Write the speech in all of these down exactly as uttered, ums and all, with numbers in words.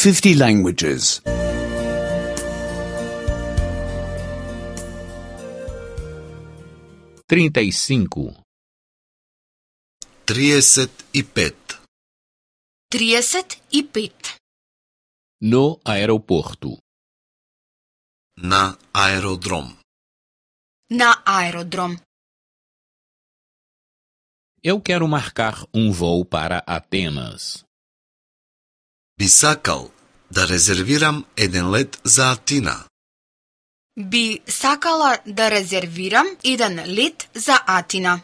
fifty languages. trinta e cinco. trideset и пет. trideset и пет. No aeroporto. На аеродром. На аеродром. Eu quero marcar um voo para Atenas. Би сакал да резервирам еден лет за Атина. Би сакала да резервирам еден лет за Атина.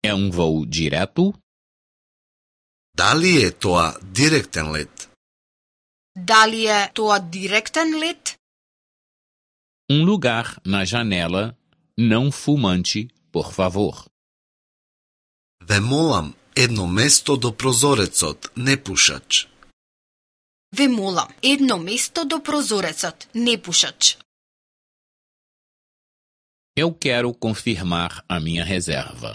É um voo direto? Дали е тоа директен лет? Дали е тоа директен лет? Um lugar na janela, não fumante, por favor. Ве молам едно место до прозорецот, непушач. Ве молам едно место до прозорецот, непушач. Eu quero confirmar a minha reserva.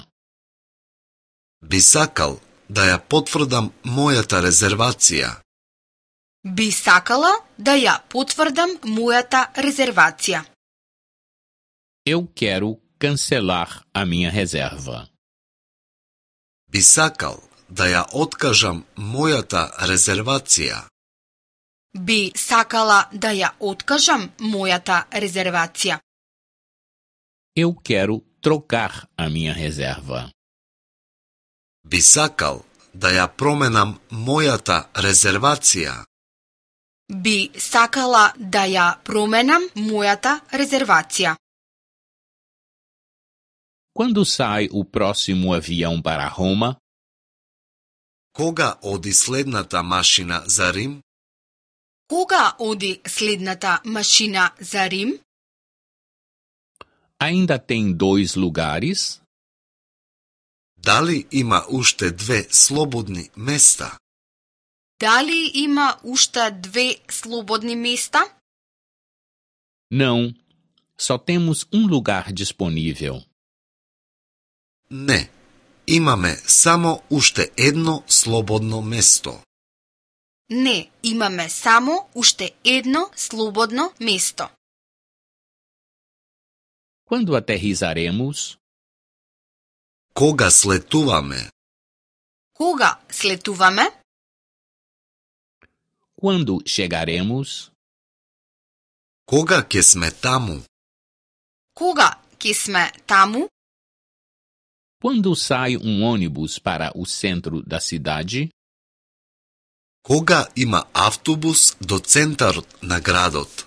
Би сакал да ја потврдам мојата резервација. Би сакала да ја потврдам мојата резервација. Eu quero cancelar a minha reserva. Би сакал да ја откажам мојата резервација. Би сакала да ја откажам мојата резервација. Eu quero trocar a minha reserva. Би сакал да ја променам мојата резервација. Би сакала да ја променам мојата резервација. Quando sai o próximo avião para Roma? Кога оди следната машина за Рим? Кога оди следната машина за Рим? Ainda tem dois lugares? Дали има уште две слободни места? Дали има уште две слободни места? Não, só temos um lugar disponível. Не, имаме само уште едно слободно место. Не, имаме само уште едно слободно место. Quando aterrissaremos? Кога слетуваме? Кога слетуваме? Quando chegaremos? Кога ќе сме таму? Кога ќе сме таму? Quando sai um ônibus para o centro da cidade? Кога има автобус до центарот на градот?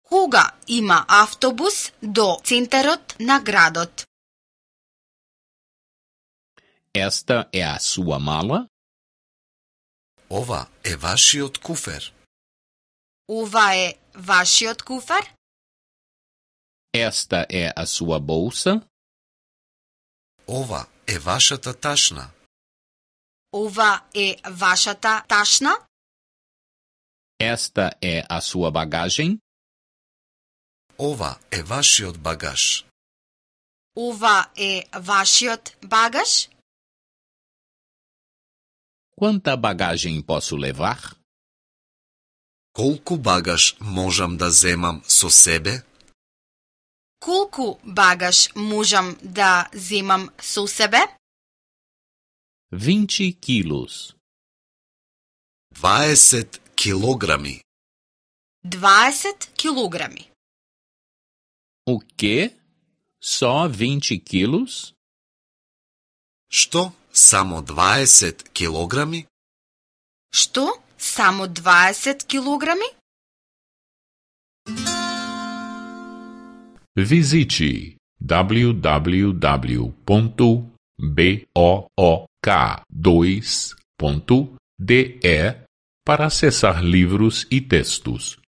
Кога има автобус до центарот на градот? Esta é a sua mala? Ова е вашиот куфер. Ова е вашиот куфер? Esta é a sua bolsa? Ова е вашата ташна. Ова е вашата ташна? Esta é a sua bagagem? Ова е вашиот багаж. Ова е вашиот багаж? Quanta bagagem posso levar? Колку багаж можам да земам со себе? Колку багаж можам да земам со себе? vinte quilos. дваесет килограми. дваесет килограми. O quê? Só vinte quilos? Што? Само дваесет килограми? Што? Само дваесет килограми? Visite w w w ponto book dois ponto d e para acessar livros e textos.